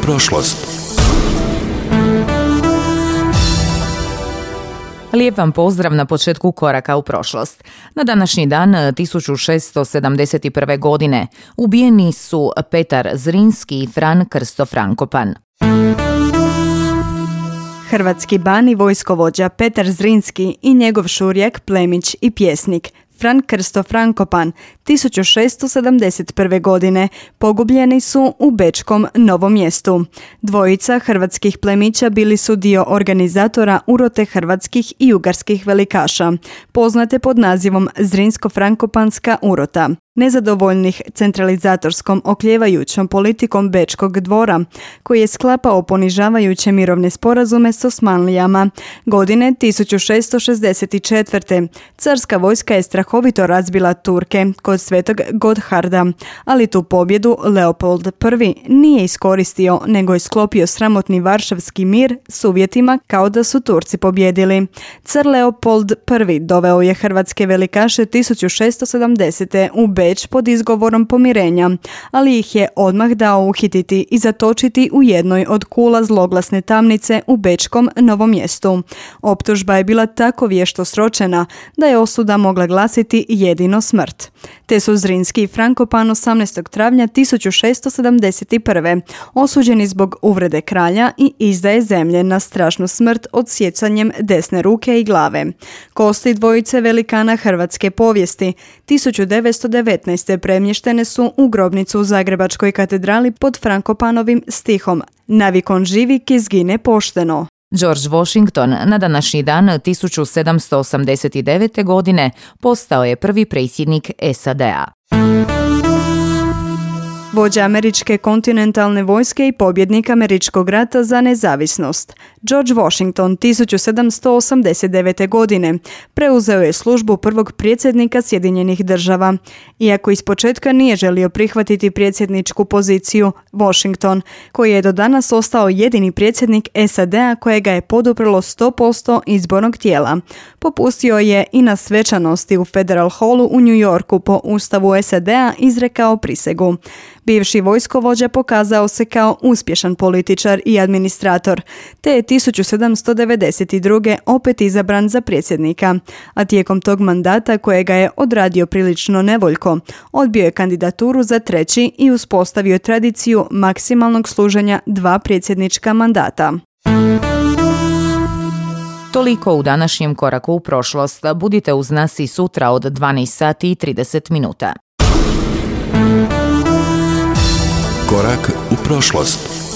prošlost. Lijep vam pozdrav na početku koraka u prošlost. Na današnji dan 1671. godine ubijeni su Petar Zrinski i Fran Krsto Frankopan. Hrvatski ban i vojskovođa Petar Zrinski i njegov šurjak, plemić i pjesnik Fran Krsto Frankopan 1671. godine pogubljeni su u bečkom Novom Mjestu. Dvojica hrvatskih plemića bili su dio organizatora urote hrvatskih i ugarskih velikaša, poznate pod nazivom Zrinsko-Frankopanska urota. Nezadovoljnih centralizatorskom okljevajućom politikom bečkog dvora, koji je sklapao ponižavajuće mirovne sporazume s Osmanlijama. Godine 1664. carska vojska je strahovito razbila Turke kod Svetog Gotharda, ali tu pobjedu Leopold I nije iskoristio, nego je sklopio sramotni Varšavski mir s uvjetima kao da su Turci pobjedili. Car Leopold I doveo je hrvatske velikaše 1670. u Beč pod izgovorom pomirenja, ali ih je odmah dao uhititi i zatočiti u jednoj od kula zloglasne tamnice u bečkom Novom Mjestu. Optužba je bila tako vješto sročena da je osuda mogla glasiti jedino smrt. Te su Zrinski i Frankopan 18. travnja 1671. osuđeni zbog uvrede kralja i izdaje zemlje na strašnu smrt odsjecanjem desne ruke i glave. Kosti dvojice velikana hrvatske povijesti 1919. premještene su u grobnicu u Zagrebačkoj katedrali pod Frankopanovim stihom "Navikon živi ki zgine pošteno". George Washington na današnji dan 1789. godine postao je prvi predsjednik SAD-a. Vođa američke kontinentalne vojske i pobjednik američkog rata za nezavisnost. George Washington 1789. godine preuzeo je službu prvog predsjednika Sjedinjenih država. Iako ispočetka nije želio prihvatiti predsjedničku poziciju, Washington, koji je do danas ostao jedini predsjednik SAD-a kojega je poduprlo 100% izbornog tijela, popustio je i na svečanosti u Federal Hallu u New Yorku po Ustavu SAD-a izrekao prisegu. Bivši vojskovođa pokazao se kao uspješan političar i administrator, te je 1792. opet izabran za predsjednika, a tijekom tog mandata kojega je odradio prilično nevoljko, odbio je kandidaturu za treći i uspostavio tradiciju maksimalnog služenja 2 predsjednička mandata. Toliko u današnjem koraku u prošlost. Budite uz nas i sutra od 12 sati i 30 minuta. Korak u prošlost.